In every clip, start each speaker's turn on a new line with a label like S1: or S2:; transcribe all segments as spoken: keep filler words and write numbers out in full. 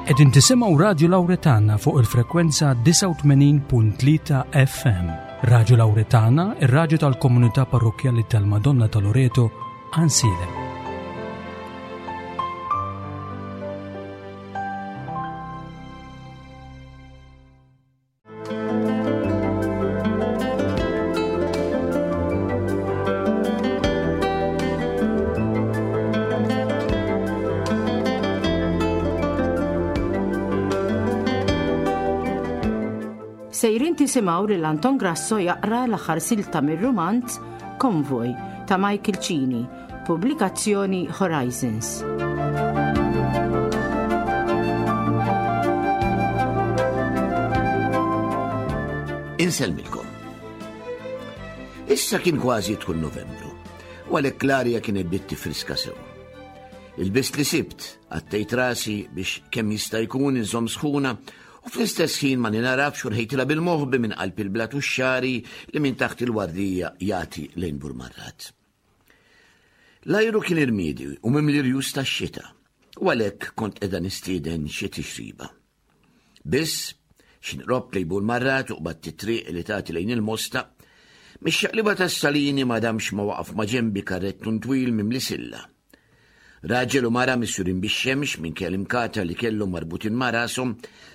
S1: Qegħdin tisimgħu Radju Lawretana fuq il-frekwenza disgħa u tmenin punt tlieta F M. Radju Lawretana, ir-radju tal-komunità parrokkjali tal-Madonna ta' Loreto, Għajnsielem.
S2: Sejrin tisimgħu lil Anton Grasso jaqra l-aħħar silta mir-rumanz Konvoj ta' Michael Cini, pubblikazzjoni Horizons.
S3: Insellmilkom. Issa kien kważi jidħol Novembru, u għalhekk l-arja kienet bdiet tifriska sew. Il-bist li sibt, għattejt rasi biex kemm jista' jkun inżomm sħuna, u fl-istess ħin ma ninarafx u rħejtilha bil-moħbi minn qalb il-blat u x-xari li minn taħt il-wardija jagħti lejn Burmarrad. L-ajru kien irmiedi u mimli rjus tax-xita, u għalhekk kont qiegħda nistieden xi tixriba. Biss, x'inqrob lejn Burmarrad u qbadt it-triq li tagħti lejn il-Mosta, mix-xaqliba tas-Salini ma damx ma waqaf ma' ġenbi karrettun twil mimli silla. Raġel u mara misjurin bix-xemx minn kell imkata li kellhom marbutin ma' rashom,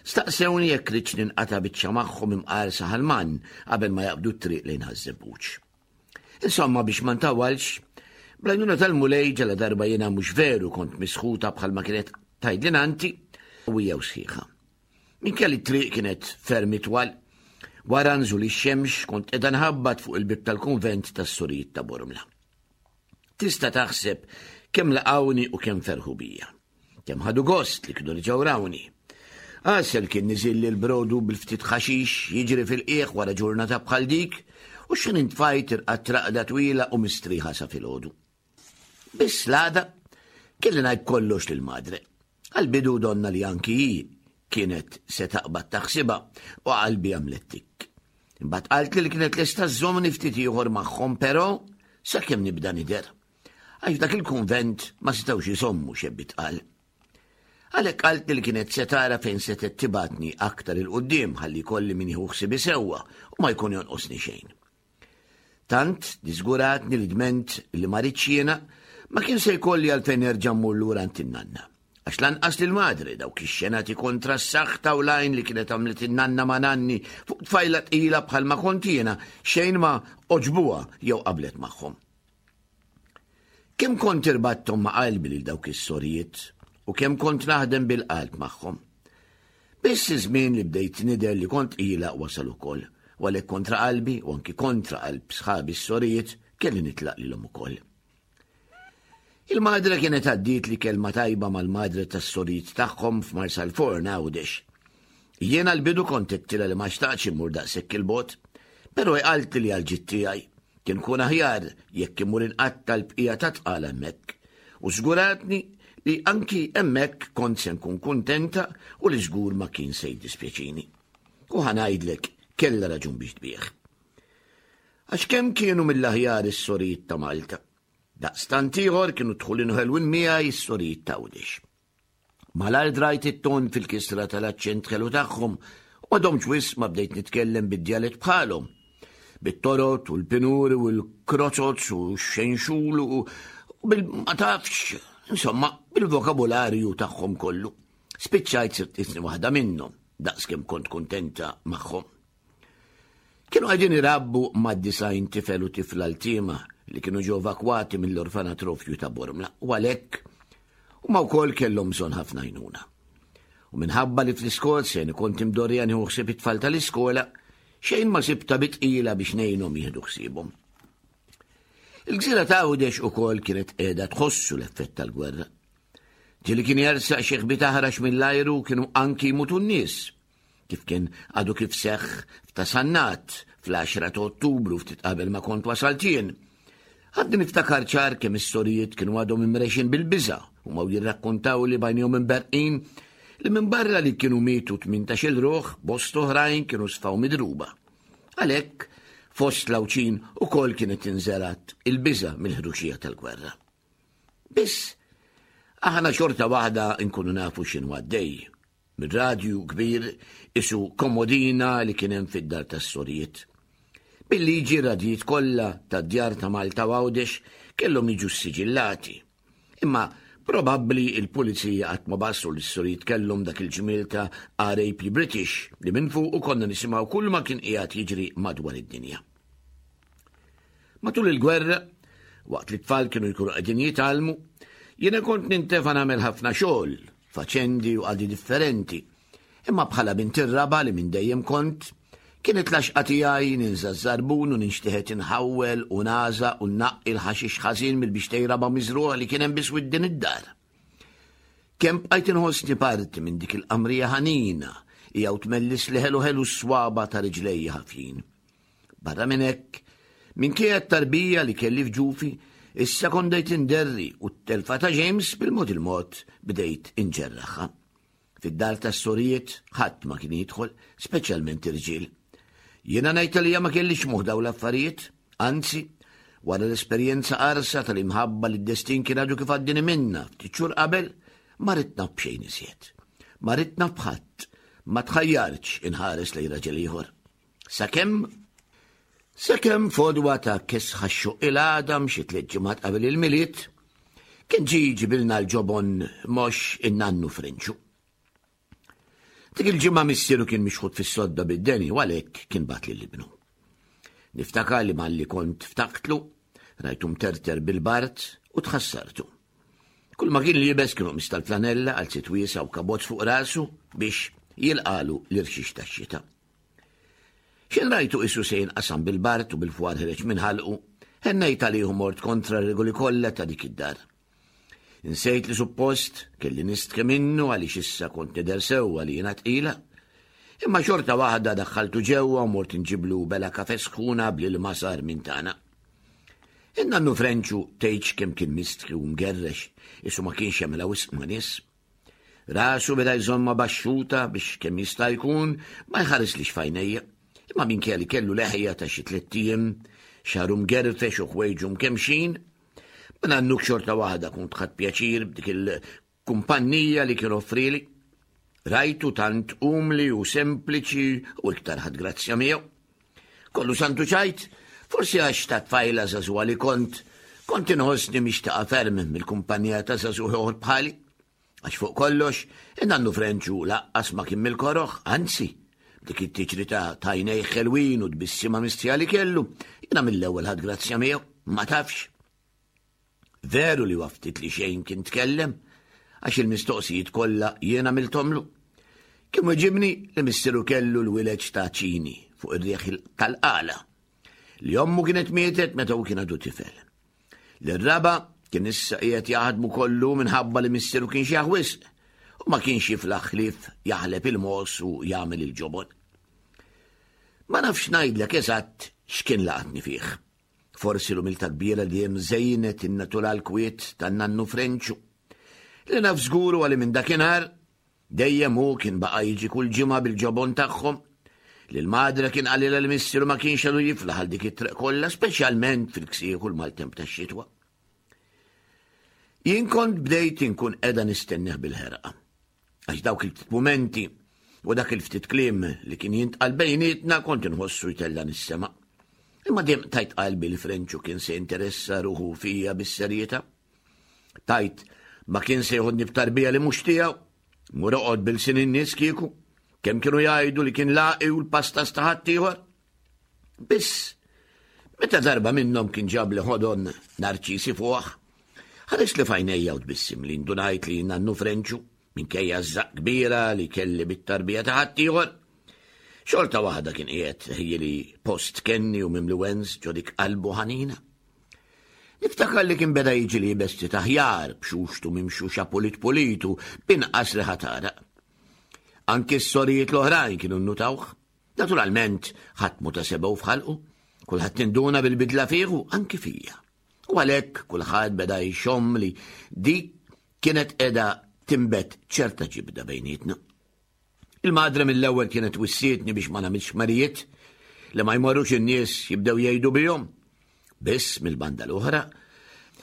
S3: staqsewni jekk ridx ninqata' biċċa magħhom imqar saħalman qabel ma jaqbdu t-triq lejn Ħaż-Żebbuġ. Insomma, biex ma ntawalx, bl-għajnuna tal-Mulej ġala darba jiena mhux veru kont misħuta bħalma kienet tgħidli nanti u hija sħiħa. Minkejja li t-triq kienet ferm itwal, wara nżul ix-xemx kont qiegħda nħabbat fuq il-bib tal-kunvent tas-Sorijiet ta' Bormla. Tista' taħseb kemm laqawni u kemm ferħu bija. Kemm ħadu gost li kienu reġgħu rawni. Għasel kien niżil li l-brodu bil-ftit ħaxix jiġri fil-qiegħ wara ġurnata bħal dik u x'in intfajt irqadt raqda twila u mistrieħa sa filgħodu. Biss l-għada kelli ngħid kollox lil madre. Għall-bidu donna li anki hi kienet se taqbad taħsibha u qalbi għamlet tik. Imbagħad qaltli li kienet lesta żżommni ftit ieħor magħhom, però sakemm nibda nidher. Għax dak il-kunvent ma setgħux jisommu xebbi tqal. Għalhekk qaltli li kienet se tara fejn se tibatni aktar il-qudiem ħalli jkolli min jieħu ħsibi sewwa u ma jkun jonqosni xejn. Tant diżguratni li dment li ma ridx jiena ma kien se jkolli għalfejn nerġa' mmur lura għand in-nanna. Għax lanqas lil madre dawk ix-xenati kontra s-saħħ u l-għajn li kienet għamlet in-nanna ma' nanni fuq tfajla tqila bħalma kont jiena xejn ma oġbuha jew qablet magħhom. Kemm kont irbatthom ma' qalbi lil dawk is-sorijiet u kemm kont naħdem bil-qalb magħhom. Biss iż-żmien li bdejt nidher li kont tqila wasal ukoll, u għalhekk kontra qalbi u anki kontra qalb sħabi s-sorijiet kelli nitlaq lilhom ukoll. Il-madre kienet għaddiet li kelma tajba mal-madre tas-sorijiet tagħhom f'Marsalforn Għawdex. Jiena l-bidu kont għedtilha li ma xtaqtx immur daqshekk il-bogħod, però hi qaltli li għall-ġid tiegħi kien kun aħjar jekk imur inqatta' l-bqija ta' tqal hemmhekk. U żguratni li anki hemmhekk kont se nkun kuntenta u li żgur ma kien se jiddispjaċini. U ħa ngħidlek kellha raġun biex tbieħ. Għax kemm kienu mill-aħjar is-sorijiet ta' Malta. Daqstant ieħor kienu dħulin ħelwin miegħi s-sorijiet ta' Għawdex. Malajr drajt it-ton fil-kisra tal-aċċent ħelu tagħhom u ma domx wisq ma bdejt nitkellem bid-djalett bħalhom. Bit-torot u l-pinuri u l-kroċots u x-xenxul u bil ma tafx, insomma, bil-vokabularju tagħhom kollu. Spiċċajt sirt isni waħda minnhom, daqs kemm kont kuntenta magħhom. Kienu qegħdin irabbu mad-disgħin tifel u tifla l-tiema li kienu ġew evakwati mill-orfanatrofju ta' Bormla u għalhekk huma wkoll kellhom bżonn ħafna għajnuna. U minħabba li fl-Iskozja jien kont imdorrija nieħu ħsieb it-tfal tal-iskola, xejn ma sibta bitqila biex ngħinhom jieħdu ħsiebhom. Il-gżira ta' Għawdex ukoll kienet qiegħda tħossu l-effett tal-gwerra. Ġieli kien jersaq xi ħbit aħrax mill-ajru kienu anki jmutu n-nies, kif kien għadu kif seħħ f'ta' Sannat fl-għaxra ta' Ottubru ftit qabel ma kont wasalt jien. Għadni niftakar ċar kemm is-sorijiet kienu għadhom imrexin bil-biża' u ma jirrakkontaw li bajnihom imberqin li minn barra li kienu mietu tmintax-il ruħ, bost oħrajn kienu sfaw midruba. Għalhekk, fost l-Għawdxin ukoll kienet inżerat il-biża' mill-ħruxija tal-gwerra. Biss, aħna xorta waħda nkunu nafu x'inhu għaddej. mir-radju kbir isu komodina li kien hemm fid-dar tas-sorijiet. Bil-liġi radijiet kollha tad-djar ta' Malta u Għawdex kellhom jiġu ssiġillati. Imma probabbli il-pulizija qatt ma basru li s-sorijiet kellhom dak il-ġmiel ta' R A P British li minn fuq u konna nisimgħu kull ma kien qiegħed jiġri madwar id-dinja. Matul il-gwerra, waqt li t-tfal kienu jkunu qegħdin jitgħallmu, jiena kont nintefa' nagħmel ħafna xogħol, faċendi u qadi differenti. Imma bħala bint ir-raba' li minn dejjem kont, kienet l-għaxqa tiegħi ninża' ż-żarbun u ninxteħet inħawwel u naża' u nnaqqi l-ħaxix ħażin mill-bixtej raba' miżruħ li kien hemm biswit din id-dar. Kemm bqajt inħossni parti minn dik il-qamrija ħanina hija u tmellis li ħelu ħelu s-swaba ta' riġlejja ħafjin. Barra minn hekk, minkejja t-tarbija li kelli f'ġufi, issa kont bdejt inderri u t-telfa ta' James bil-mod il-mod bdejt inġerraħha. Fid-dar tas-sorijiet ħadd ma kien jidħol, speċjalment irġiel. Jiena ngħid li ma kellix moħħ dawn l-affarijiet, anzi, wara l-esperjenza qarsa tal-imħabba li d-destin kien għadu kif għaddini minna ftit xhur qabel, ma ridt naf b'xejn iżjed. Ma ridt naf b'ħadd, ma tħajjarx inħares lejn raġel ieħor. Sakemm Sakemm fodwa ta' kesħa x-xuq il-għadam xi tliet ġimgħat qabel il-Milied, kien ġie jġibilna l-ġobon mhux in-nannu Frenċu. Dik il-ġimgħa missieru kien mixħut fis-sodda bid-deni u għalhekk kien bagħat lil ibnu. Niftakar li malli kont ftaktlu, rajtu mterter bil-bard u tħassartu. Kull ma kien liebes kienu mistal flanella għal sit wiesa' u kabozz fuq rasu biex jilqalu l-irxix tax-xita. X'in rajtu isu se jinqasam bil-bard u bil-fwar ħereġ minn ħalqu, hennejt għalih u mort kontra r-regoli kollha ta' dik id-dar. Insejt li suppost kelli nistke minnu għaliex issa kont nidher sewwa li jiena tqila. Imma xorta waħda daħħaltu ġewwa u mort inġiblu bela kafe sħuna bl-ilma sar minn tagħna. In-nannu Frenċu tgħidx kemm kien mistħi u mgerrex, isu ma kienx jagħmilha wisq ma' nies. Rasu beda jżomma baxxuta biex kemm jista' jkun ma jħarislix f'għajnejja. Imma minkejja li kellu leħja ta' xi tliet ijiem, xagħru mgerfex u ħwejġu mkemxin, ma nannuk xorta waħda kont ħadt pjaċir b'dik il-kumpanija li kien offrili. Rajtu tant umli u sempliċi u iktar ħadd grazzja miegħu. Kollu santu ċajt, forsi għax ta' tfajla żagħżugħa li kont, kont inħossni mixtaqa ferm mill-kumpanija ta' żagħżugħ ieħor bħali. Għax fuq kollox, in-nannu Frenċu laqqas ma kien mill-koroħ, anzi, dik it-tiġri ta' tajnej ħelwin u tbissima mistija li kellu, jiena mill-ewwel ħadd grazzja miegħu, ma tafx. Veru li waftit li xejn kien tkellem, għax il-mistoqsijiet kollha jiena miltomlu. Kien weġibni li missieru kellu l-wileġ ta' ċini fuq ir-riħ tal-qala, li ommu kienet mietet meta hu kien għadu tifel. L-raba kien issa qiegħed jaħdmu kollu minħabba li missieru kien xi wisq u ma kienx jiflaħ ħlief jaħleb il-mos u jagħmel il-ġobon. Ma nafx ngħidlek eżatt x'kien laqatni fih. Forsi l-umiltà kbira li hemm żejnet in-natural kwiet tan-nannu Frenċu. Li naf żgur huwa li minn dakinhar dejjem hu kien baqa' jiġi kull ġimgħa bil-ġobon tagħhom. Li l-madre kien qalilha li missieru ma kienx għadu jiflaħ għal dik it-triq kollha, speċjalment fil-ksieħ u l-maltemp tax-xitwa. Jien kont bdejt inkun qiegħda nistennih bil-ħerqa. Għax dawk il-ftit mumenti u dak il-ftit kliem li kien jintqal bejnietna kont inħossu jtella' nis-sema. Imma dejjem tajt qalbi li Frenċu kien se jinteressa ruħu fija bis-serjetà. Tajt ma kien se jħodni b'tarbija li mhux tiegħu, mur oqgħod bil-sin in-nies kieku, kemm kienu jgħidu li kien laqi u l-pasta ta' ħaddieħor. Biss, meta darba minnhom kien ġab li ħodon narċisi fuq, ħares li f'għajnejja u tbissim li ndunajt li nannu Frenċu minkejja żaq kbira li kelli bit-tarbija ta' ħaddieħor. Xorta waħda kien qiegħed ħieli post kenni u mimli wens ġo dik qalbu ħanina. Niftakar li kien beda jiġi li jibesti taħjar b'xuxtu mimxuxa pulit pulitu b'inqas riħa tagħraq. Anki s-sorijiet l-oħrajn kienu nnutawh. Naturalment ħadd mu ta' sebgħu f'ħalqu, kulħadd induna bil-bidla fih u anki fija. U għalhekk kulħadd beda jxomm li dik kienet qiegħda timbet ċerta ġibda bejnietna. Il-madre mill-ewwel kienet wissietni biex ma nagħmilx marijiet li ma jmorrux in-nies jibdew jgħidu bihom. Biss mill-banda l-oħra,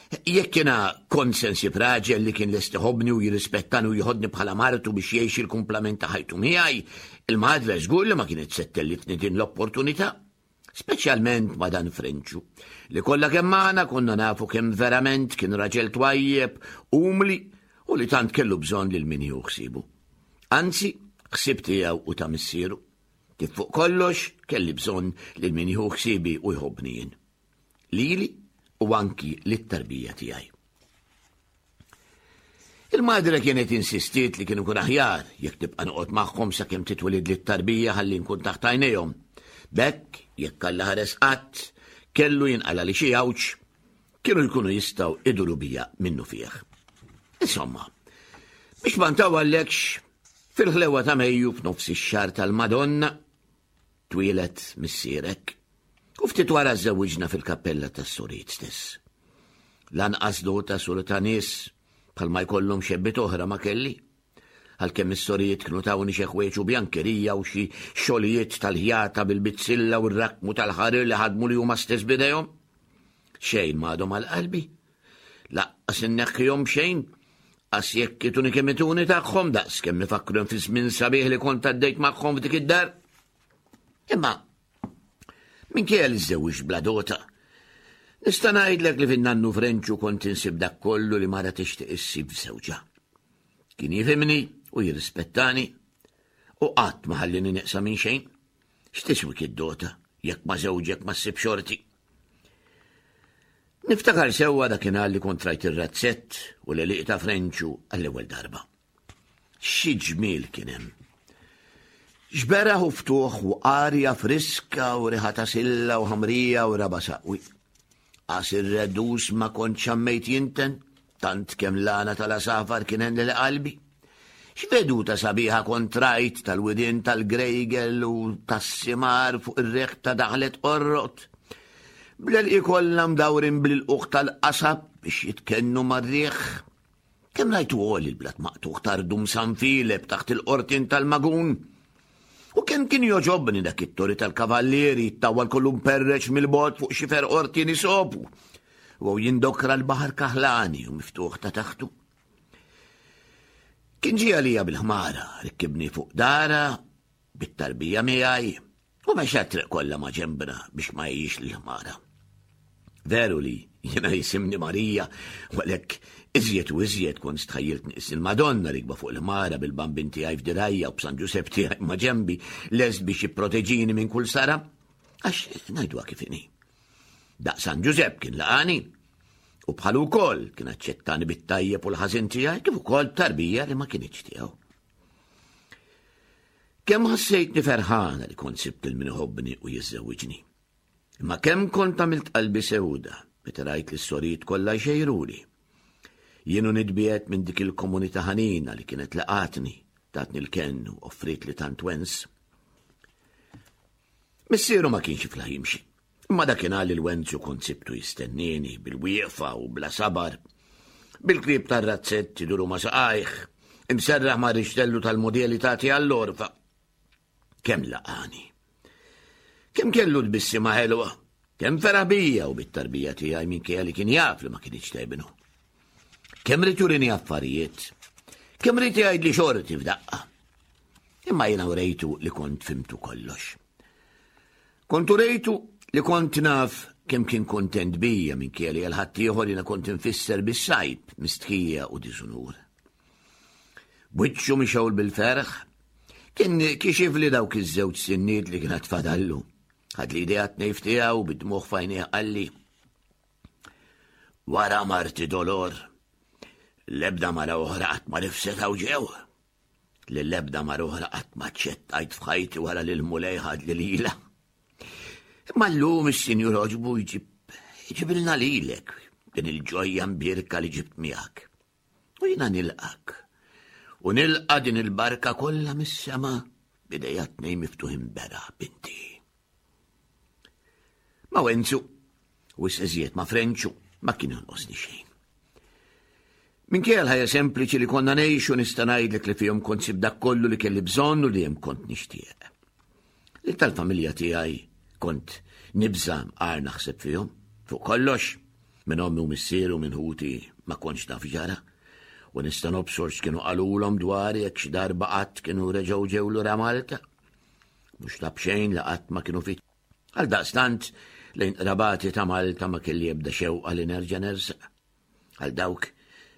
S3: Jekk jiena kont se nsib raġel li kien lest iħobbni u jirrispettani u jħodni bħala martu biex jgħix il-kumplament ta' ħajtu miegħi, il-madre żgur li ma kienet se ttellifni din l-opportunità. Speċjalment ma' dan Frenċu, li kollha kemm magħna konna nafu kemm verament kien raġel twajjeb, umli u li tant kellu bżonn lil min jieħu ħsiebu. Anzi, ħsieb tiegħu u ta' missieru. Kif fuq kollox kelli bżonn lil min jieħu ħsiebi u jħobbni jien. Lili u anki lit-tarbija tiegħi. Il-madre kienet insistiet li kienu kun aħjar jekk tibqa' noqgħod magħhom sakemm titwelid lit-tarbija ħalli nkun taħt għajnejhom. B'hekk, jekk Alla ħares qatt, kellu jinqala li xi għawġ, kienu jkunu jistgħu iduru bija minnu fih. Insomma, biex ma ntawwallekx, fil-ħlewa ta' Mejju f'nofs ix-xahar tal-Madonna, twieled missierek. U ftit wara żewwiġna fil-kappella tas-sorijiet stess. Lanqas dota sur ta' nies bħalma jkollhom xebbiet oħra ma kelli. Għalkemm is-sorijiet kienu tawni xi ħwejġ u bjankerija u xi xogħlijiet tal-ħjata bil-bizzilla u r-rakmu tal-ħarir li ħadmu li huma stess b'idejhom. Xejn m'għadhom għal qalbi. Laqqas inneħħihom xejn, qas jekk ituni kemm ituni tagħhom daqs kemm ifakkrun fi żmien sabiħ li kont għaddejt magħhom f'dik id-dar. Imma minkejja li żżewwiġt bla dota, nista' ngħidlek li fin-nannu Frenċu kont insib dak kollu li mara tixtieq issib f'żewġha. Kien jifhimni u jirrispettani u qatt ma ħallini neqsa minn xejn. X'tiswik id-dota jekk ma żewġek ma ssib xorti? Niftakar sewwa dakinhar li kont rajt ir-razzett u l-għelieqi ta' Frenċu għall-ewwel darba. Xi ġmiel kien hemm! Xberaħ u ftuħ u arja friska u riħa ta' silla u ħamrija u raba saqwi. Qas ir-redus ma kont xammejt jinten, tant kemm l-għana tal-asafar kien henni li qalbi. X'veduta sabiħa kont rajt tal-widien tal-Grejgel u tas-simar fuq ir-reħ ta' daħlet Qorrot. Bl-għelqi kollha mdawrin bl-ilquq tal-qasab biex jitkennu mar-riħ. Kemm rajtu għoli l-blat maqtuħ tardum San Filep taħt il-qortin tal-Magun. U kemm kien joġobni dak it-tori tal-kavallieri jittawwal kollu mperreċ mill-bogħod fuq xifer qortin isobu. U jindokra l-baħar kaħlani u miftuħ ta' taħtu. Kien ġie għalija bil-ħmara, rikkibni fuq dara, bit-tarbija miegħi, u mexa t-triq kollha ma' ġembna biex ma jgħix l-ħmara. Veru li jiena jisimni Marija, u għalhekk iżjed u iżjed kont stħajjilt nqis il-Madonna rikba fuq il-ħmara bil-bambin tiegħi f'dirajja u b'San Ġusepp tiegħi ma' ġembi lest biex jipproteġini minn kull sara, għax ngħiduha kif inhi. Daq San Ġusepp kien laqani u bħalu wkoll kien aċċettani bit-tajjeb u l-ħażin tiegħi kif ukoll tarbija li ma kinitx tiegħu. Kemm ħassejtni ferħana li kont sibt lil min iħobbni u jiżżewwiġni. Imma kemm kont għamilt qalbi sewda meta rajt li s-sorijiet kollha jxejruli. Jienu nitbiet minn dik il-komunità ħanina li kienet laqatni, tatni l-kenn u offrit li tant wens. Missieru ma kienx iflaħ jimxi, imma dakinhar li l-Wenzu kont sibtu jistennieni bil-wieqfa u bla sabar, bil-klieb tar-razzett iduru ma' saqajh, imserraħ ma' rixtellu tal-modeli tagħti għall-orfa. Kemm laqani! Kemm kellu tbissima ħelwa, kemm feraħ bija u bit-tarbija tiegħi minkejja li kien jaf li ma kinitx tebnu. Kemm ried jurini affarijiet, kemm ried jgħidli xorti f'daqqa. Imma jiena urejtu li kont fimtu kollox. Kont urejtu li kont naf kemm kien kontent bija minkejja li għal ħaddieħor jiena kont infisser bis-sajb, mistħija u diżunur. B'wiċċu mixgħul bil-ferħ, kien kixif li dawk iż-żewġ sinniet li kienet fadallu. Ħad li idea tnejf tiegħu bid-dmugħ f'għajnejh qalli. Wara marti Dolor, l-ebda mara oħra qatt ma rifset hawn ġew. Lill-ebda mara oħra qatt ma ċċettajt f'ħajti wara li l-Mulej ħad li lilha. Imma llum is-Sinjur għoġbu jġib jġibilna lilek din il-ġojja mbierka li ġibt miegħek. U jiena nilqak. U nilqa din il-barka kollha mis-sema b'idejja tnejn miftuħin beraħ binti. Ma Wenzu, u iżjed ma Frenċu, ma kien jonqosni xejn. Minkejja l-ħajja sempliċi li konna ngħixu nista' ngħidlek li fihom kont sib dak kollu li kelli bżonn u li hemm kont nixtieq. Li tal-familja tiegħi kont nibża' mqar naħseb fihom, fuq kollox. Minn ommi u missieri u minn ħuti ma kontx naf ġara, u nista' nobsor x'kienu qalulhom dwar jekk xi darba qatt kienu reġgħu ġew lura Malta. Mhux ta' b'xejn li qatt ma kienu fit. Għal daqstant lejn qrabati ta' Malta ma kelli ebda xewqa li nerġa' nersaq. Għal dawk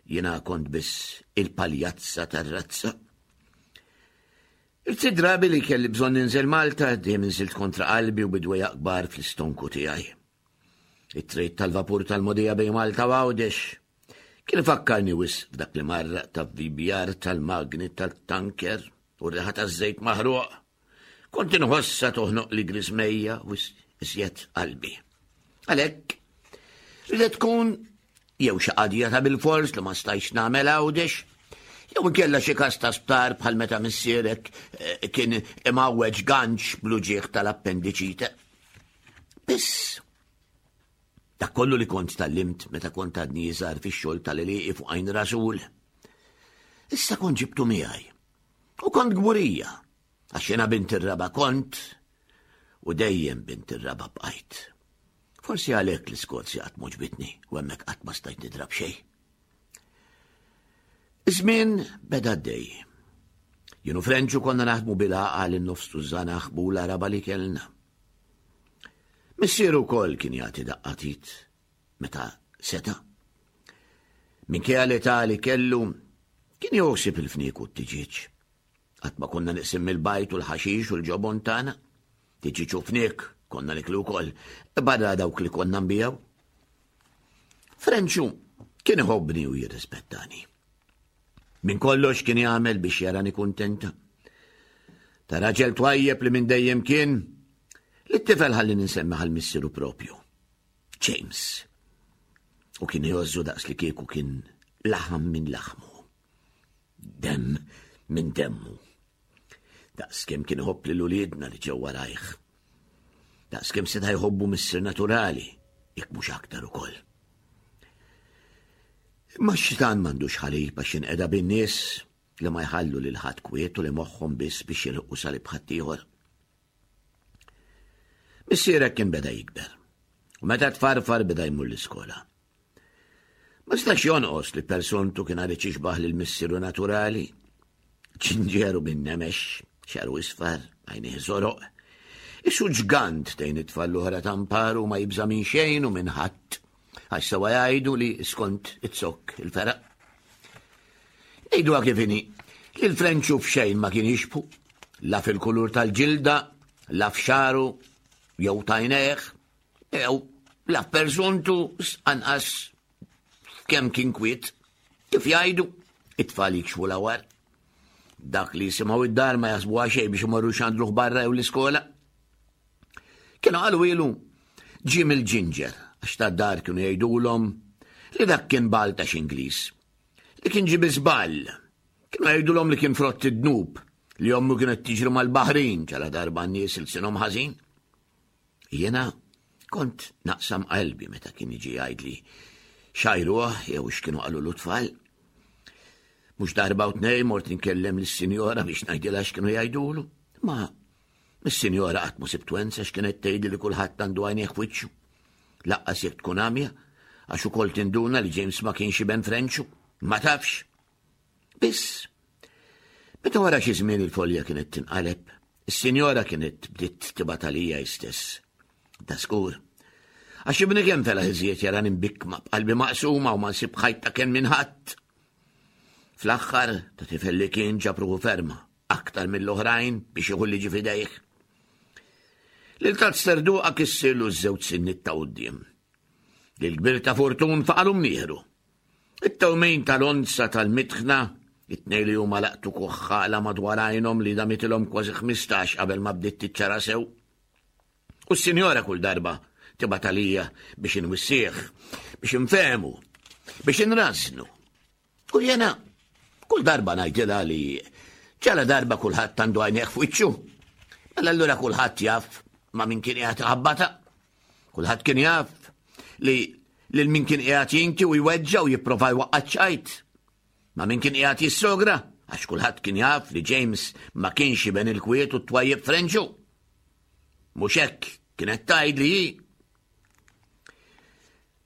S3: jiena kont biss il-paljazza tar-razza. Il-ftit drabi li kelli bżonn ninżel Malta, dejjem inżilt kontra qalbi u bidwejja kbar fl-istonku tiegħi. It-trejt tal-vapur tal-mogħdija bejn Malta u Għawdex kien ifakkarni wisq f'dak li marraq ta' V B R tal-magni tal-tanker u r-riħa taż-żejt maħruq. Kont inħossa toħnoq li griżmejja u iżjed qalbi. Għalhekk, ridet tkun jew xi qadja ta' bil-fors li ma stajtx nagħmel Għawdex, jew inkella xi każ ta' sptar bħal meta missierek eh, kien imgħawweġ ganċ bl-uġigħ tal-appendiċite. Biss, dak kollu li kont tgħallimt meta kont għadni iżgħar fix-xogħol tal-għelieqi fuq Għajn Rasul. Issa kont ġibtu miegħi. U kont kburija, għax jiena bint ir-raba' kont u dejjem bint ir-raba' bqajt. Forsi għalhekk l-Iskozja qatt m'għoġbitni u hemmhekk qatt ma stajt nidrab xejn. Iż-żmien beda għaddej. Jien u Frenċu konna naħdmu bil-għaqal in-nofs tużżana ħbula raba' li kellna. Missieru wkoll kien jagħti daqqa t'id meta seta'. Minkejja l-età li kellu kien joħsib il-fniek u t-tiġiġ. Qatt ma konna neqsin mill-bajd u l-ħaxix u l-ġobon tagħna. Tiġiġ u fniek konna niklu wkoll, barra dawk li konna nbigħu. Frenċu kien iħobbni u jirrispettani. Minn kollox kien jagħmel biex jarani kuntenta. Ta' raġel twajjeb li minn dejjem kien, li t-tifel ħalli ninsemmi għal missieru propju. James. U kien jgħożżu daqs li kieku kien laħam minn laħmu. Dem minn demmu. Daqs kemm kien iħobb lil uliedna li ġew warajh. Daqs kemm seta' jħobbu missier naturali, jekk mhux aktar ukoll. Imma x-xitan m'għandux ħalib għax jinqeda bin-nies li ma jħallu lil ħadd kwiet u li moħħhom biss biex jilħqu salib ħaddieħor. Missierek kien beda jikber. U meta tfarfar beda jmur l-iskola. Ma stax jonqos li persontu kien għad jixbah lil missieru naturali. Ġinġeru bin nemex, xagħru isfar, għajnejh żoroq. Isu ġgant tejn it-tfal l-oħra tamparu, ma jibża minn xejn u minn ħadd. Għax sewa jgħidu li skont it-zokk il-fergħa. Ngħidu kif inhi, li l-Frenċu f'xejn ma kien jixbhu, la fil-kulur tal-ġilda, la f'xagħru, jew t'għajnejh, jew la f'persontu, anqas kemm kien kwiet. Kif jgħidu, it-tfal jikxfu l-awar. Dak li jisimgħu id-dar ma jaħsbu xejn biex imorru xandluh barra jew l-iskola. Kienu qalu ilu ġie mill-ġinġer, għax ta' dar kienu jgħidulhom li dak kien bal ta' Ingliż. Li kien ġie bi żball. Kienu jgħidulhom li kien frott id-dnub, li ommu kienet tiġri mal-baħrin ġala darba n-nies ilsienhom ħażin. Jiena kont naqsam qalbi meta kien jiġi jgħidli x'għajruh jew x'kienu qalu l-tfal. Mhux darba u tnejn mort nkellem lis-sinjora biex ngħidilha x'kienu jgħidulu. Ma mis-sinjora qatt ma sibt wensa, x'kienet tgħidli li kulħadd għandu għajnejh f'wiċċu. Lanqas jekk tkun għamja, għax ukoll tinduna li James ma kienx iben Frenċu, ma tafx. Biss, meta wara xi żmien il-folja kienet tinqaleb, is-sinjora kienet bdiet tibgħat għalija stess. Da skur. Għax ibni kemm felaħ iżjed jarani mbikkma, b'qalbi maqsuma u ma nsib ħajt ta' kenn minn ħadd. Fl-aħħar ta' tifel li kien ġab ruħu ferma, aktar mill-oħrajn biex jieħu liġi f'idejh. Lil ta' sterduqa kissirlu ż-żewġ sinniet ta' quddiem. Lil kbir ta' Fortun faqagħlu mnieħru. It-tewmin tal-onza tal-mitħna, it-tnejn li huma laqtu kuħħala madwar għajnhom li damitilhom kważi ħmistax qabel ma bdiet tiċċara sew. U s-sinjora kull darba tibgħat għalija biex inwissih, biex infehmu, biex inrażnu. U jena kull darba ngħidilha li ġala darba kulħadd għandu għajnejh f'wiċċu. Mela allura kulħadd jaf ma' min kien qiegħed ħabbata. Kulħadd kien jaf li lil min kien qiegħed jinki u jweġġa u jipprova jwaqqa' ċajt. Ma' min kien qiegħed jissogra, għax kulħadd kien jaf li James ma kienx iben il-kwiet u t-twajjeb Frenċu. Mhux hekk kienet tgħid li hi.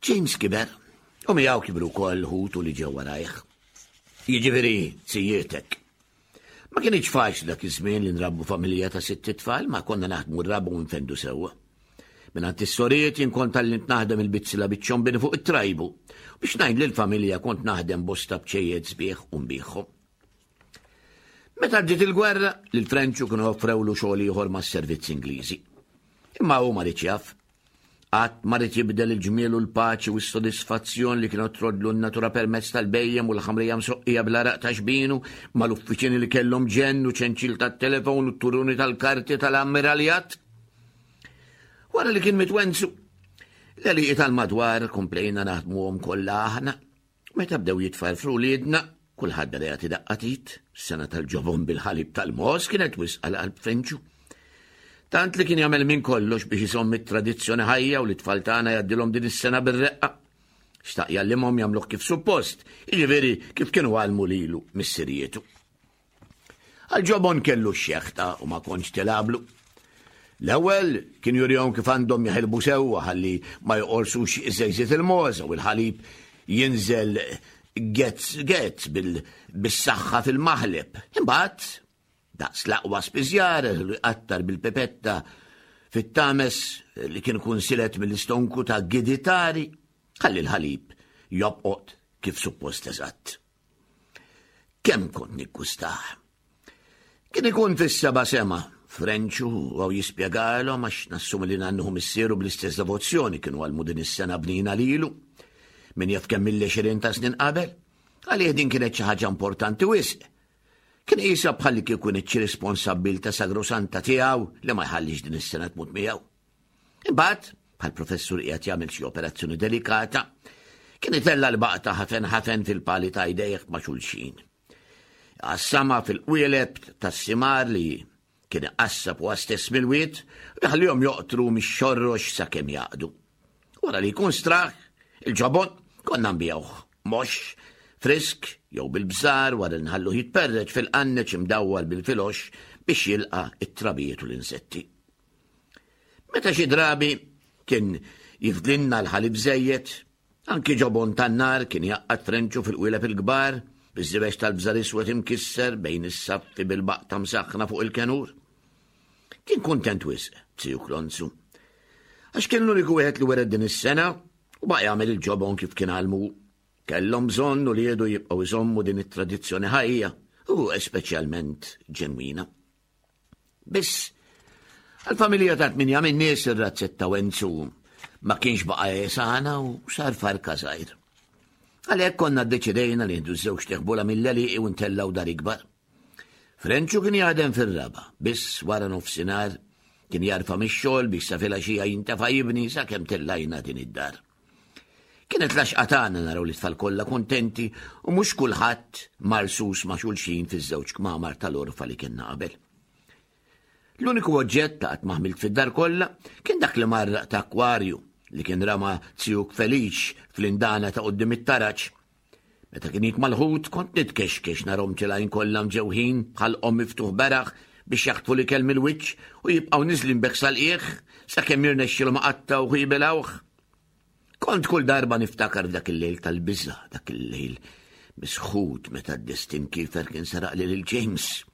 S3: James kiber, u miegħu kibru wkoll ħutu li ġew warajh. Jiġifieri zijietek. Ma kienx faċli dak iż-żmien li nrabbu familja ta' sitt tfal, ma konna naħdmu r-raba' u nfendu sewwa. Mingħand is-sorijiet jien kont tgħallimt naħdem il-bizzilla biċ-ċombini fuq it-trajbu. Biex ngħin lill-familja kont naħdem bosta bċejjed sbieħ u nbigħhom. Meta bdiet il-gwerra, lil Frenċu kienu offrewlu xogħol ieħor mas-servizz Ingliżi. Imma hu ma riedx jaf. Qatt ma ried jibdel il-ġmiel u l-paċi u s-sodisfazzjon li kienu trodlu n-natura permezz tal-bhejjem u l-ħamrija msoqqija bl-għaraq ta' xbinu mal-uffiċini li kellhom ġenn u ċenċil tat-telefon u t-turuni tal-karti tal-ammiraljat. Wara li kien miet Wenzu, l-għelieqi tal-madwar komplejna naħdmuhom kollha aħna. Meta bdew jitfarfru wliedna, kulħadd beda jagħti daqqa t'id, is-sengħa tal-ġobon bil-ħalib tal-mogħoż kienet wisq għal qalb Frenċu. Tant li kien jagħmel minn kollox biex iżomm it-tradizzjoni ħajja u li tfal tagħna jgħaddilhom din is-sengħa bir-reqqa. Xtaq jgħallimhom jagħmluh kif suppost, jiġifieri kif kienu għallmu lilu missirietu. Għal-ġobon kellu x-xeħta u ma kontx tilgħablu. L-ewwel kien jurihom kif għandhom jaħilbu sewwa ħalli ma joqorsux iż-żejżiet il-mogħża u l-ħalib jinżel gezz gezz bis-saħħa fil-maħleb. Imbagħad daqs l-aqwa spiżjar li qattar bil-pipetta fit-tames li kien ikun silet mill-istonku ta' giditari ħalli l-ħalib jobqot kif suppost eżatt. Kemm kont niggustah. Kien ikun fis-seba' sema, Frenċu u jispjegalhom għax nassumi li nannuh u missieru bl-istess devozzjoni kienu għallmu din is-sengħa bnina lilu. Min jaf kemm mill-għexieren ta' snin qabel, għalih din kienet xi ħaġa importanti wisq. Kien qisha bħalli kieku xi responsabbiltà sagrosanta tiegħu li ma jħallix din is-sengħa tmut miegħu. Imbagħad, bħal professur qiegħed jagħmel xi operazzjoni delikata, kien itella' l-baqta ħafen ħafen fil-pali ta' jdejh ma' xulxin. Qassama fil-qwieleb tas-simar li kien iqassab huwa stess mill-wied u jħallihom joqtru mix-xorrox sakemm jaqdu. Wara li jkun straħ, il-ġobon konna nbigħuh mox, frisk jew bil-bżar wara li nħalluh jitperreċ fil-qanneċ imdawwar bil-filox biex jilqa' it-trabijiet u l-insetti. Meta xi drabi kien jifdlinna l-ħalib żejjed, anki ġobon tan-nar kien jgħaqqad Frenċu fil-qwieleb il-kbar, biż-żibex tal-bżar iswed imkisser bejn is-saffi bil-baqta msaħħna fuq il-kenur. Kien kuntent wisq, ziju Klonzu. Għax kien l-uniku wieħed li wiret din is-sengħa u baqa' jagħmel il-ġobon kif kien għallmu. Kellhom bżonn uliedu jibqgħu jżommu din it-tradizzjoni ħajja u speċjalment ġenwina. Biss, għal-familja ta' tminja minn nies ir-razzett ta' Wenzu ma kienx baqa' jesana u sar farka żgħir. Għalhekk konna ddeċidejna li nieħdu żewġ teħbula mill-għelieqi u ntellgħu dar ikbar. Frenċu kien jaħdem fir-raba, biss wara nofsinhar kien jarfa' mix-xogħol biex sa filgħaxija jintefa' jibni sakemm tellajna din id-dar. Kienet l-għaxqa tagħna naraw li tfal kollha kuntenti u mhux kulħadd marsus ma' xulxin fiż-żewġ kmamar tal-orfa li kienna qabel. L-uniku oġġett ta' qatt ma ħmilt fid-dar kollha kien dak li marraq ta' akwarju li kien rama zijuk Feliċ fl-indana ta' quddiem it-taraġ. Meta kien jitma' l-ħut kont nitkexkex narhom tilgħin kollha mġewħin bħalqhom miftuħ beraħ biex jaħtfu l-ikel mill-wiċċ u jibqgħu niżlin bek sal-qiegħ sakemm jirnexxilhom iqattgħuh u jibilgħuh. Kont kull darba niftakar dak il-lejl tal-biża', dak il-lejl misħut meta d-destin kiefer kien saraq lil James.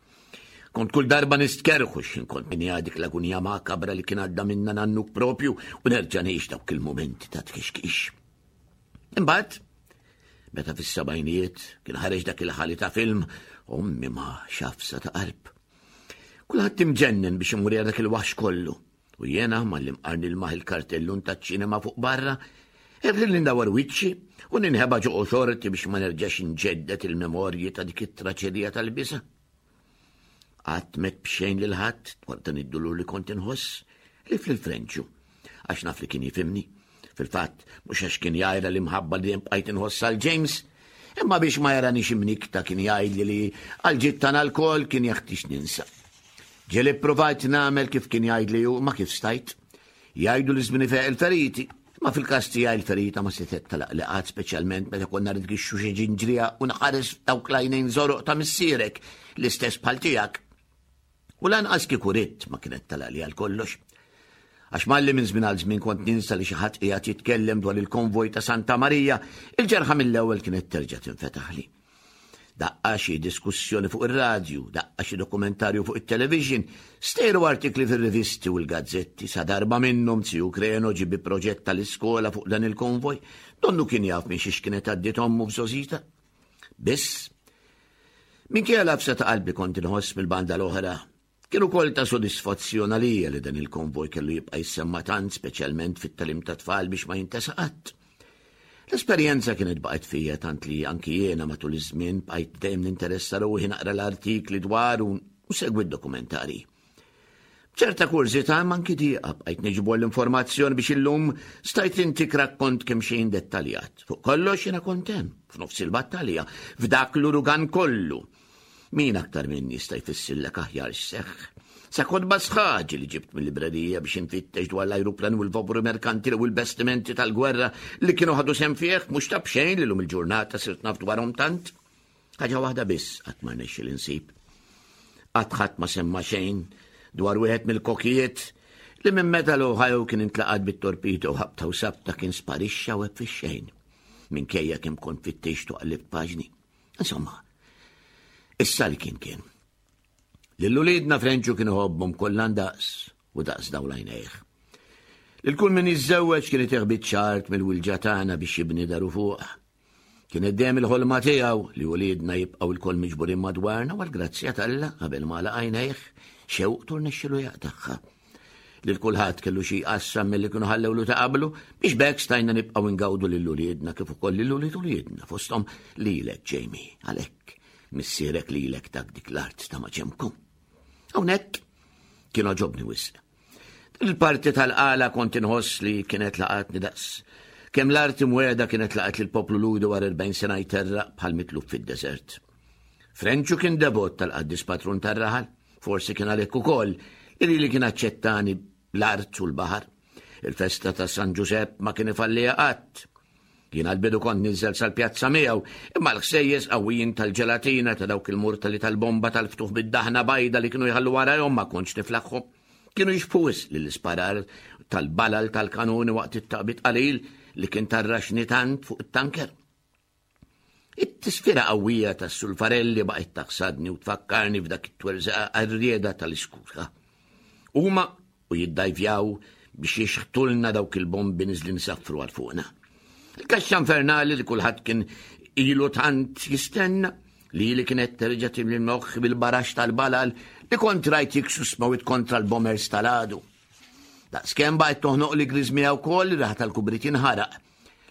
S3: Kont kull darba nistkerħu x'ħin kont minja dik l-agunija makabra li kien għadda minna nannuk propju u nerġa' ngħix dawk il-mumenti ta' tkixkix. Imbagħad, meta fis-sebgħinijiet kien ħareġ dak il-ħali ta' film, ommi ma xafsa ta' qalb. Kulħadd imġennen biex imur jara dak il-waħx kollu. U jiena malli mqarni l-maħ il-kartellun taċ-ċinema fuq barra, irrid ndawar wiċċi u ninħeba ġo xorti biex ma nerġax inġeddet il-memorji ta' dik it-traċedija tal-biża'. Qatt m'għedt b'xejn lil ħadd dwar dan id-dulur li kont inħoss li fil-Frenċu, għax naf li kien jifhimni. Fil-fatt, mhux għax kien jgħajra l-imħabba li dejjem bqajt inħoss għal James, imma biex ma jaranix imnikta kien jgħidli li għal ġid tagħna lkoll kien jeħtieġ ninsa. Ġieli ppruvajt nagħmel kif kien jgħidli hu, ma kif stajt. Jgħidu li żmien ifeq il-feriti, ma fil-każ tiegħi l-ferita ma setgħet talaq li qatt, speċjalment meta konna nitgixxu xi ġinġrija u nħares dawk l-għajnejn żoroq ta' missierek l-istess bħal tiegħek. U lanqas kieku ridt ma kienet talaq li għal kollox. Għax malli minn żmien għal żmien kont ninsa li xi ħadd qiegħed jitkellem dwar il-konvoj ta' Santa Marija, il-ġerħa mill-ewwel kienet terġa' tinfetaħli. Daqqa xi diskussjoni fuq ir-radju, daqqa xi dokumentarju fuq it-television, stejru artikli fir-rivisti u l-gazzetti, sa darba minnhom Ziju Kreno ġie bi proġett tal-iskola fuq dan il-konvoj, donnu kien jaf minn xiex kienet għaddiet ommu f'żgħożitha. Biss, minkejja l-għafsa ta' qalbi kont inħoss mill-banda l-oħra, kien ukoll ta' sodisfazzjon għalija li dan il-konvoj kellu jibqa' jissemma tant, speċjalment fit-tagħlim tat-tfal biex ma jintesa qatt. L-esperjenza kienet baqgħet fija tant li anki jiena matul iż-żmien bqajt dejjem ninteressa ruħi naqra l-artikli dwaru u segwi d-dokumentari. B'ċerta kurżità imma anki dieqa bqajt niġbor l-informazzjoni biex illum stajt intik rakkont kemm xejn dettaljat. Fuq kollox jiena kont hemm, f'nofs il-battalja, f'dak l-urugan kollu. Min aktar minni jista' jfissirlek aħjar x'seħħ? Sa kotba sħaġi li ġibt mill-librerija biex infittex dwar l-ajruplan u l-vapuri merkantili u l-bastimenti tal-gwerra li kienu ħadu sehem fih, mhux ta' b'xejn li llum il-ġurnata sirt naf dwarhom tant. Ħaġa waħda biss qatt ma rnexxieli nsib. Qatt ħadd ma semma xejn dwar wieħed mill-kokijiet li minn meta l-Ohio kien intlaqat bit-torpedo ħabta u sabta kien sparixxa u fix-xejn. Minkejja kemm kont fittixtu qallibt paġni. Insomma, issa li kien kien. Lil uliedna Frenċu kien iħobbhom kollha ndaqs u daqs dawl għajnejh. Lil kull min jiżżewweġ kien itih biċċa art mill-wilġa tagħna biex jibni daru fuqha. Kienet dejjem il-ħolma tiegħu li uliedna jibqgħu lkoll miġburin madwarna u għall-grazzja t'Alla qabel ma għalaq għajnejh xewqtu rnexxielu jaqtagħha. Lil kulħadd kellu xi jqassam milli kienu ħallewlu ta' qablu biex b'hekk stajna nibqgħu ngawdu lil uliedna kif ukoll lil ulied uliedna fosthom lilek Jamie għalhekk missierek lilek tak dik l-art ta' maġenbkom. Hawnhekk kien għoġobni wisq. Din il-parti tal-qala kont inħoss li kienet laqatni daqs. Kemm l-art imwiegħda kienet laqat lill-poplu Lhudi wara erbgħin sena jterraq bħal mitluf fid-deżert. Frenċu kien devot tal-qaddis patrun tar-raħal, forsi kien għalhekk ukoll li li kien aċċettani l-art u l-baħar. Il-festa ta' San Ġusepp ma kien ifalliha qatt. Jien għal-bidu kont ninżel sal-pjazza miegħu, imma l-ħsejjes qawwijin tal-ġelatina ta' dawk il-murtali tal-bomba tal-ftuħ bid-daħna bajda li kienu jħallu warajhom ma kontx niflaħħom. Kienu jixbhu wisq lill-isparar tal-balal tal-kanuni waqt it-taqbid qalil li kien tarraxni tant fuq it-tanker. It-tisfira qawwija tas-sulfarelli baqgħet taħsadni u tfakkarni f'dak it-twerżaqa għarrieda tal-iskuta. Huma u jiddajvjaw biex jixħtulna dawk il-bombi niżlin saffru għal fuqna. Il-kaxxa infernali li kulħadd kien ilu tant jistenna li li kienet terġa' timli l-moħħ bil-barax tal-balal li kont rajt jiksu smawit kontra l-bombers tal-għadu. Daqskemm baqgħet toħnoq li griżmija wkoll li raħ tal-kubrit jinħaraq.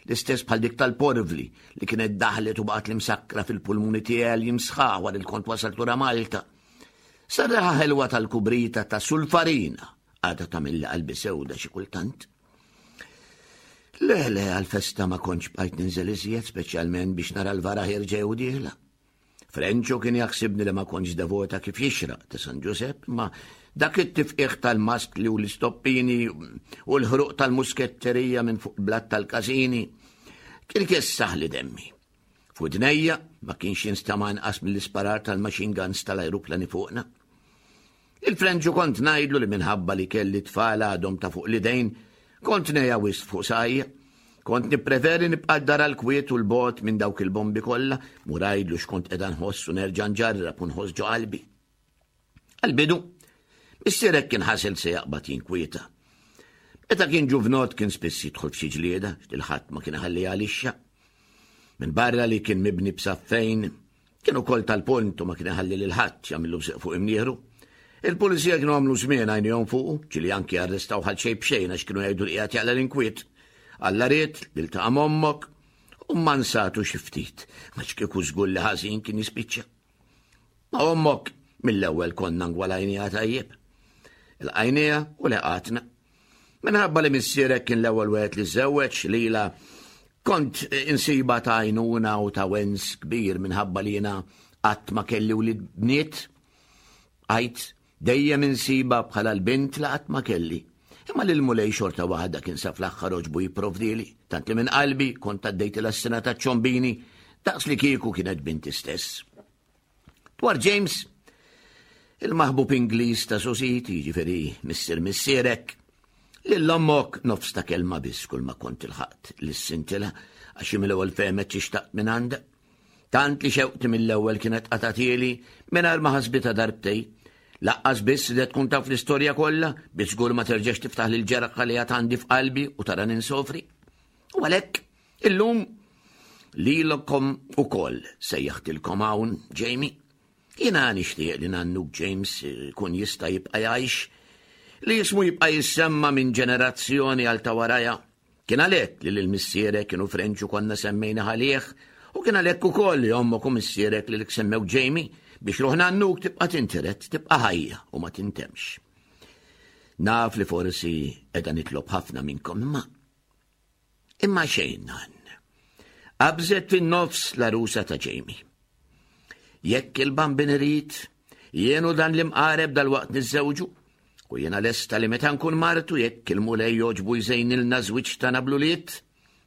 S3: L-istess bħal dik tal-porvli li kienet daħlet u baqgħet l-imsakra fil-pulmuni tiegħi li jimsħaħ wara li kont wasalt lura Malta. Sarraħa ħelwa tal-kubrita ta' sulfarina għadha tagħmilli qalbi sewda xi kultant. Le, le, għal-festa ma kontx bqajt ninżel iżjed, speċjalment biex nara l-vara ħierġa jew dieħla. Frenċu kien jaħsibni li ma kontx devota kif jixraq ta' San Ġusepp, ma dak it-tifqiħ tal-maskli u l-istoppini u l-ħruq tal-musketterija minn fuq blat tal-każini kien ikessaħ li demmi. F'widnejja ma kienx jinstama' inqas mill-isparar tal-machine guns tal-ajruplani fuqna. Il-Frenċu kont ngħidlu li minħabba li kelli tfal għadhom ta' fuq l-idejn, kont ngħejja wisq fuq saqajja. Kont nippreferi nibqa' d-dar għall-kwiet u l-bogħod minn dawk il-bombi kollha, mur għidlu x'kont qiegħda nħoss u nerġa' nġarrab u nħoss ġo qalbi. Għall-bidu, missierek kien ħasel se jaqbad jinkwieta. Meta kien ġuvnot kien spiss jidħol f'xi ġlieda, x'dil ħadd ma kien iħalli għalixxa. Minn barra li kien mibni b'saffejn, kien ukoll tal-pont u ma kien iħalli lil ħadd jagħmillu bżieq fuq imnieħru. Il-pulizija kienu għamlu żmien għajnihom fuqu, ġieli anki arrestaw ħal xejn b'xejn għax kienu jgħidu li qiegħed jaqla' l-inkwiet. Alla ried li ltaqa' m'ommok u mansatu xi ftit, għax kieku żgur li ħażin kien jispiċċa. Ma' ommok mill-ewwel konna ngwalajniha tajjeb. Il-qajniha u leqatna. Minħabba li missierek kien l-ewwel wieħed li żewweġ lila kont insiba ta' għajnuna u ta' wens kbir minħabba li jiena qatt ma kelli wlied bniet. Għajt dejjem insiba bħala l-bint li qatt ma kelli. Imma lil Mulej xorta waħda kien sa fl-aħħar għoġbu jipprovdili, tant li minn qalbi kont għaddejtilha s-sena ta' ċombini daqs li kieku kienet binti stess. Dwar James, il-maħbub Ingliż ta' Sositi, jiġifieri missier missierek, Lil ommok nofs ta' kelma biss kull ma kont ilħaqt lissintilha għax mill-ewwel fehmet xi xtaqt minn għandha. Tant li xewqti mill-ewwel kienet qatatieli mingħajr ma ħasbitha darbtej. Laqqas biss li tkun taf l-istorja kollha biex żgur ma terġax tiftaħ lil ġerħa li għad għandi f'qalbi u tara ninsofri. U għalhekk illum lilkom ukoll sejjaħtilkom hawn, Jamie. Jiena nixtieq li nannuk James kun jista' jibqa' jgħix, li jismu jibqa' jissemma minn ġenerazzjoni għal ta' waraja. Kien għalhekk li lil missierek kienu Frenċu konna semmejna għalih, u kien għalhekk ukoll li ommok u missierek li semmew Jamie biex ruħ nannuk tibqa' tintiret, tibqa' ħajja u ma tintemx. Naf li forsi qiegħda nitlob ħafna minnkom imma imma xejn nan. Qabżet fin-nofs l-arusa ta' Jamie. Jekk il-Bambin irid, jien u dan l-imqareb dal-waqt niżżewġu, u jiena lesta li meta nkun martu jekk il-Mulej jogħġbu jżejnilna żwieġ tagħna bl-ulied,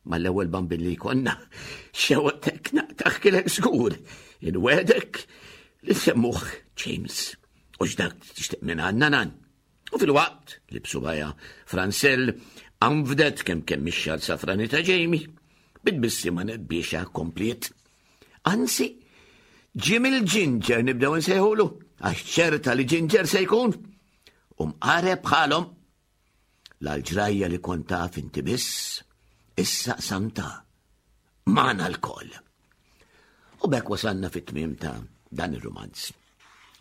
S3: mal-ewwel bambin li jkollna, xewqtek naqtaħkilek żgur, inwegħdek li semmuh James. U x'dak tixtieq minn għandna nan. U fil-waqt li b'subgħajha Fransell anfdet kemm kemm ix-xagħar safrani ta' Jamie, bit-tbissima nebbiexa kompliet. Anzi, Jim il-Ginger nibdew nsejħulu, għax ċerta li Ginger se jkun. U mqareb bħalhom. L-ġrajja li kont taf inti biss, issa qsamtha magħna lkoll. U b'hekk wasalna fit-tmiem ta' dan ir-rumanz.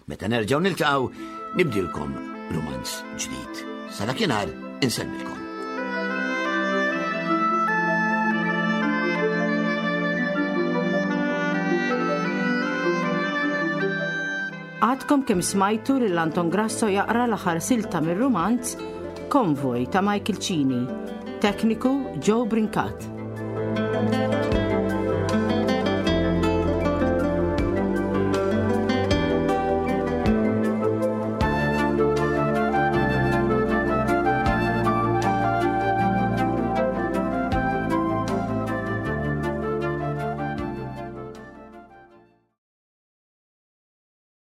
S3: Meta nerġgħu niltaqgħu, nibdilkom rumanz ġdid. Sa dakinhar insellmilkom.
S2: Għadkom kemm smajtu lil Anton Grasso jaqra l-aħħar silta mir-rumanz Konvoj ta' Michael Cini, tekniku Joe Brincat.